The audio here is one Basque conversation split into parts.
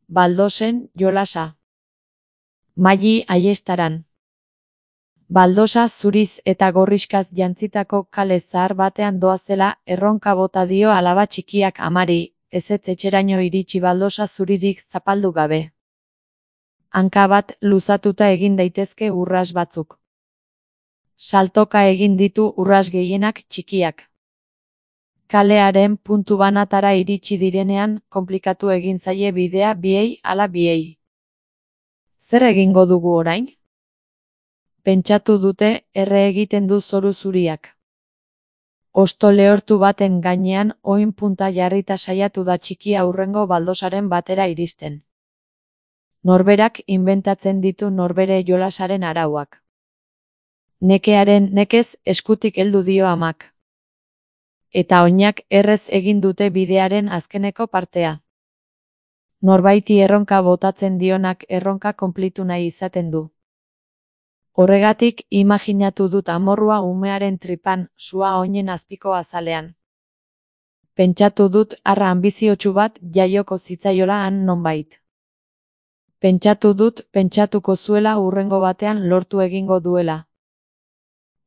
baldosen jolasa. Maili Aiestaran. Baldosa zuriz eta gorrixkaz jantzitako kale zahar batean doazela erronka bota dio alaba txikiak amari, ezetz etxeraino iritsi baldosa zuririk zapaldu gabe. Hanka bat luzatuta egin daitezke urras batzuk. Saltoka egin ditu urras gehienak txikiak. Kalearen puntu banatara iritsi direnean konplikatu egin zaie bidea biei ala biei. Zer egingo dugu orain? Pentsatu dute erre egiten du zoru zuriak. Hosto lehortu baten gainean oin punta jarrita saiatu da txikia hurrengo baldosaren batera iristen. Norberak inventatzen ditu norbere jolasaren arauak. Nekearen nekez eskutik heldu dio amak. Eta oinak errez egin dute bidearen azkeneko partea. Norbaiti erronka botatzen dionak erronka konplitu nahi izaten du. Horregatik imaginatu dut amorrua umearen tripan, sua oinen azpiko azalean. Pentsatu dut arra anbiziotsu bat jaioko zitzaiola han nonbait. Pentsatu dut pentsatuko zuela hurrengo batean lortu egingo duela.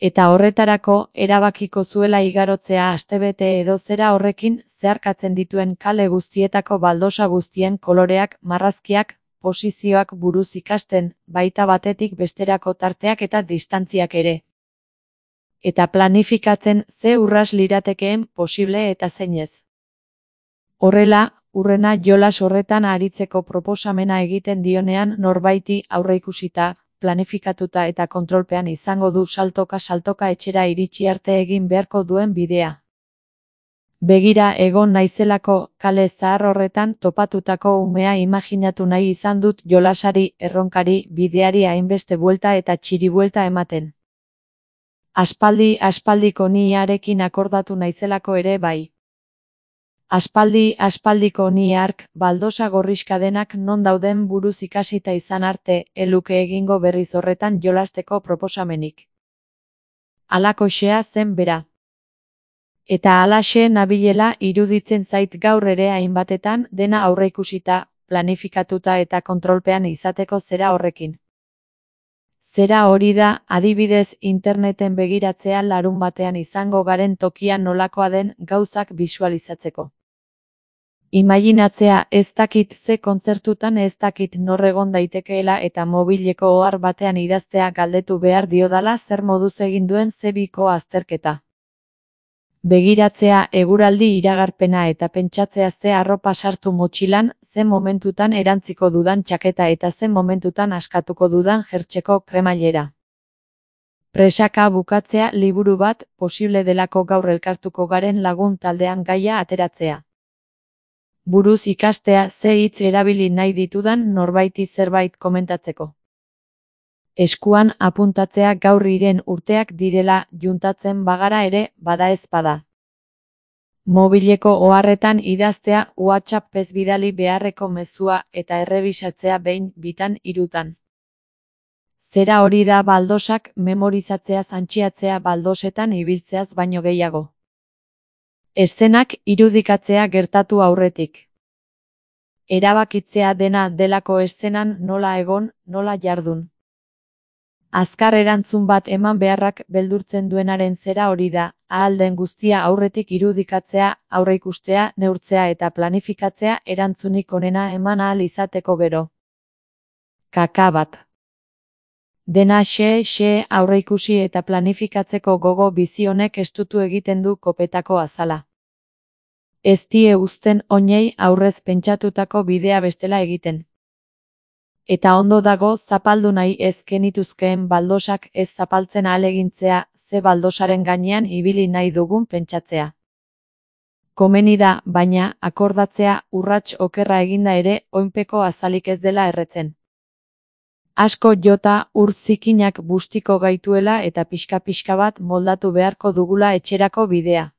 Eta horretarako erabakiko zuela igarotzea astebete edo zera horrekin zeharkatzen dituen kale guztietako baldosa guztien koloreak, marrazkiak, posizioak buruz ikasten, baita batetik besterako tarteak eta distantziak ere. Eta planifikatzen ze urras liratekeen posible eta zeinez. Horrela, hurrena jolas horretan aritzeko proposamena egiten dionean norbaiti aurreikusita, planifikatuta eta kontrolpean izango du saltoka etxera iritsi arte egin beharko duen bidea. Begira egon naizelako kale zahar horretan topatutako umea imaginatu nahi izan dut jolasari, erronkari, bideari hainbeste buelta eta txiribuelta ematen. Aspaldiko niarekin akordatu naizelako ere bai. Aspaldiko ni hark, baldosa gorrixka denak non dauden buruz ikasita izan arte, eluke egingo berriz horretan jolasteko proposamenik. Halakoxea zen bera. Eta halaxe nabilela iruditzen zait gaur ere hainbatetan dena aurreikusita, planifikatuta eta kontrolpean izateko zera horrekin. Zera hori da, adibidez interneten begiratzea larun batean izango garen tokian nolakoa den gauzak bisualizatzeko. Imaginatzea ez dakit ze kontzertutan ez dakit nor egon daitekeela eta mobileko ohar batean idaztea galdetu behar diodala zer moduz egin duen zebiko azterketa. Begiratzea eguraldi iragarpena eta pentsatzea ze arropa sartu motxilan, ze momentutan erantziko dudan txaketa eta ze momentutan askatuko dudan jertseko kremailera. Presaka bukatzea liburu bat posible delako gaur elkartuko garen lagun taldean gaia ateratzea. Buruz ikastea ze hitz erabili nahi ditudan norbaiti zerbait komentatzeko. Eskuan apuntatzea gaur iren urteak direla juntatzen bagara ere bada ez bada. Mobileko oharretan idaztea WhatsAppez bidali beharreko mezua eta errebisatzea behin, bitan, hirutan. Zera hori da baldosak memorizatzea zantxiatzea baldosetan ibiltzeaz baino gehiago. Eszenak irudikatzea gertatu aurretik. Erabakitzea dena delako eszenan nola egon, nola jardun. Azkar erantzun bat eman beharrak beldurtzen duenaren zera hori da, ahal den guztia aurretik irudikatzea, aurreikustea, neurtzea eta planifikatzea erantzunik onena eman ahal izateko gero. Kaka bat. Dena xe aurreikusi eta planifikatzeko gogo bizi honek estutu egiten du kopetako azala. Ez die uzten oinei aurrez pentsatutako bidea bestela egiten. Eta ondo dago zapaldu nahi ez genituzkeen baldosak ez zapaltzen ahalegintzea, ze baldosaren gainean ibili nahi dugun pentsatzea. Komeni da, baina, akordatzea urrats okerra eginda ere oinpeko azalik ez dela erretzen. Asko jota ur zikinak bustiko gaituela eta pixka bat moldatu beharko dugula etxerako bidea.